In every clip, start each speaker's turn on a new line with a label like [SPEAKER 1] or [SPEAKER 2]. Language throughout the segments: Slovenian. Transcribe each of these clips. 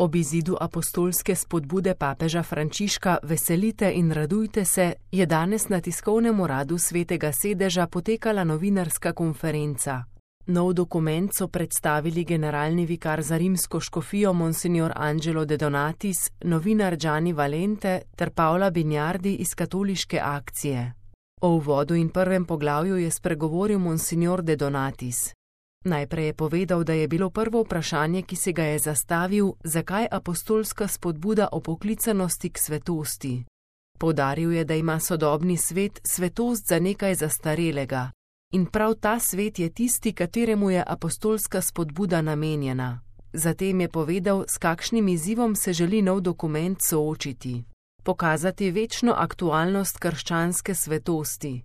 [SPEAKER 1] Ob izidu apostolske spodbude papeža Frančiška Veselite in radujte se je danes na tiskovnem uradu Svetega sedeža potekala novinarska konferenca. Nov dokument so predstavili generalni vikar za rimsko škofijo Monsignor Angelo De Donatis, novinar Gianni Valente ter Paola Bignardi iz Katoliške akcije. O uvodu in prvem poglavju je spregovoril Monsignor De Donatis. Najprej je povedal, da je bilo prvo vprašanje, ki se ga je zastavil, zakaj apostolska spodbuda o poklicanosti k svetosti. Poudaril je, da ima sodobni svet svetost za nekaj zastarelega. In prav ta svet je tisti, kateremu je apostolska spodbuda namenjena. Zatem je povedal, s kakšnim izzivom se želi nov dokument soočiti. Pokazati večno aktualnost krščanske svetosti.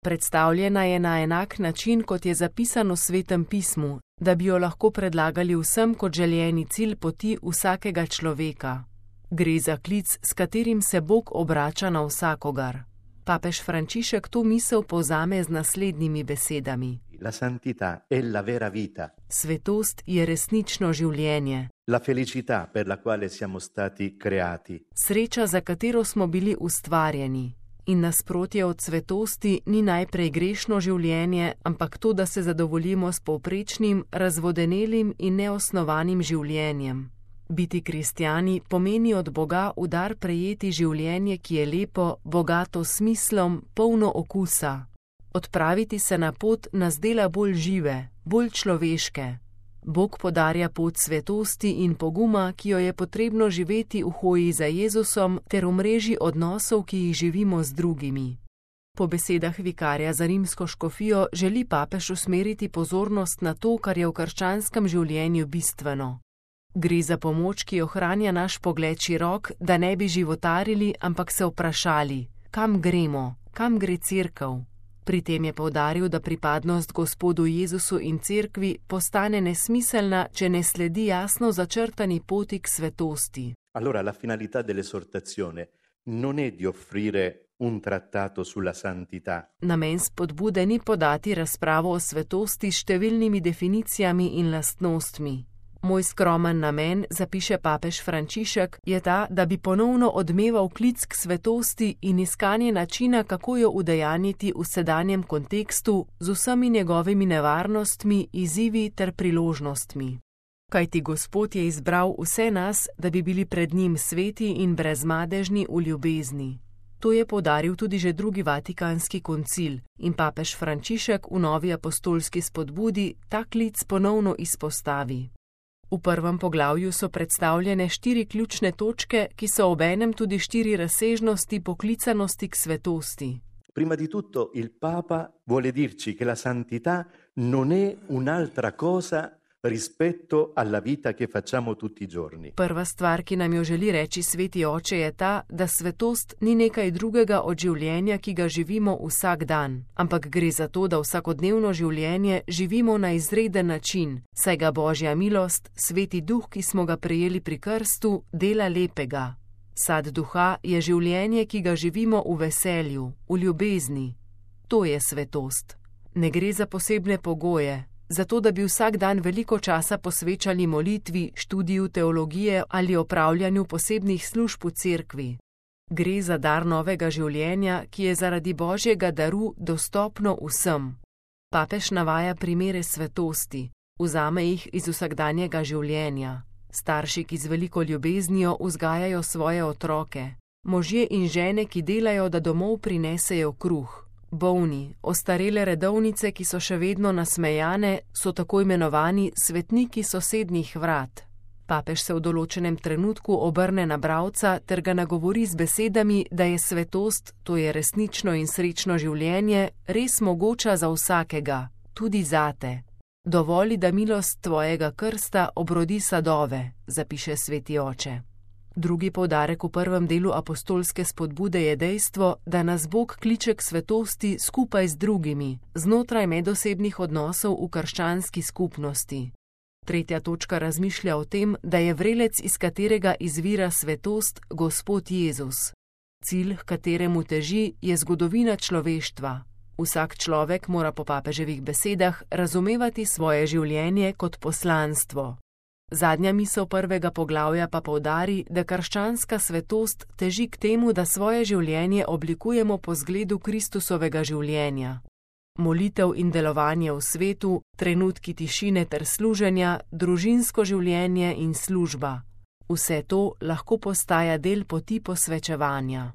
[SPEAKER 1] Predstavljena je na enak način, kot je zapisano v Svetem pismu, da bi jo lahko predlagali vsem kot željeni cilj poti vsakega človeka. Gre za klic, s katerim se Bog obrača na vsakogar. Papež Frančišek to misel povzame z naslednjimi besedami.
[SPEAKER 2] La santità è la vera vita.
[SPEAKER 1] Svetost je resnično življenje.
[SPEAKER 2] La felicità per la quale siamo stati creati.
[SPEAKER 1] Sreča, za katero smo bili ustvarjeni. In nasprotje od svetosti ni najprej grešno življenje, ampak to, da se zadovoljimo s povprečnim, razvodenelim in neosnovanim življenjem. Biti kristjani pomeni od Boga v dar prejeti življenje, ki je lepo, bogato s smislom, polno okusa. Odpraviti se na pot nas dela bolj žive, bolj človeške. Bog podarja pot svetosti in poguma, ki jo je potrebno živeti v hoji za Jezusom ter v mreži odnosov, ki jih živimo z drugimi. Po besedah vikarja za rimsko škofijo želi papež usmeriti pozornost na to, kar je v krščanskem življenju bistveno. Gre za pomoč, ki ohranja naš pogled širok, da ne bi životarili, ampak se vprašali, kam gremo, kam gre cerkev. Pri tem je poudaril, da pripadnost Gospodu Jezusu in cerkvi postane nesmiselna, če ne sledi jasno začrtani poti k svetosti.
[SPEAKER 2] Allora la finalità dell'esortazione non è di offrire un trattato sulla santità.
[SPEAKER 1] Namen spodbude ni podati razpravo o svetosti s številnimi definicijami in lastnostmi. Moj skromen namen, zapiše papež Frančišek, je ta, da bi ponovno odmeval klic k svetosti in iskanje načina, kako jo udejanjiti v sedanjem kontekstu z vsemi njegovimi nevarnostmi, izzivi ter priložnostmi. Kajti Gospod je izbral vse nas, da bi bili pred njim sveti in brezmadežni v ljubezni. To je poudaril tudi že drugi vatikanski koncil in papež Frančišek v novi apostolski spodbudi ta klic ponovno izpostavi. V prvem poglavju so predstavljene 4 ključne točke, ki so obenem tudi 4 razsežnosti poklicanosti k svetosti.
[SPEAKER 2] Prima di tutto il Papa vuole dirci che la santità non è un'altra cosa rispetto alla vita che facciamo tutti i giorni.
[SPEAKER 1] Prva stvar, ki nam jo želi reči Sveti Oče, je ta, da svetost ni nekaj drugega od življenja, ki ga živimo vsak dan, ampak gre za to, da vsakodnevno življenje živimo na izreden način, saj ga Božja milost, Sveti Duh, ki smo ga prejeli pri krstu, dela lepega. Sad duha je življenje, ki ga živimo v veselju, v ljubezni. To je svetost. Ne gre za posebne pogoje, zato da bi vsak dan veliko časa posvečali molitvi, študiju teologije ali opravljanju posebnih služb v cerkvi. Gre za dar novega življenja, ki je zaradi Božjega daru dostopno vsem. Papež navaja primere svetosti, vzame jih iz vsakdanjega življenja. Starši, ki z veliko ljubeznijo vzgajajo svoje otroke. Možje in žene, ki delajo, da domov prinesejo kruh. Bolni, ostarele redovnice, ki so še vedno nasmejane, so tako imenovani svetniki sosednjih vrat. Papež se v določenem trenutku obrne na bralca ter ga nagovori z besedami, da je svetost, to je resnično in srečno življenje, res mogoča za vsakega, tudi zate. Dovoli, da milost tvojega krsta obrodi sadove, zapiše Sveti Oče. Drugi poudarek v prvem delu apostolske spodbude je dejstvo, da nas Bog kliče k svetosti skupaj z drugimi, znotraj medosebnih odnosov v krščanski skupnosti. Tretja točka razmišlja o tem, da je vrelec, iz katerega izvira svetost, Gospod Jezus. Cilj, h kateremu teži, je zgodovina človeštva. Vsak človek mora po papeževih besedah razumevati svoje življenje kot poslanstvo. Zadnja misel prvega poglavja pa poudari, da krščanska svetost teži k temu, da svoje življenje oblikujemo po zgledu Kristusovega življenja. Molitev in delovanje v svetu, trenutki tišine ter služenja, družinsko življenje in služba. Vse to lahko postaja del poti posvečevanja.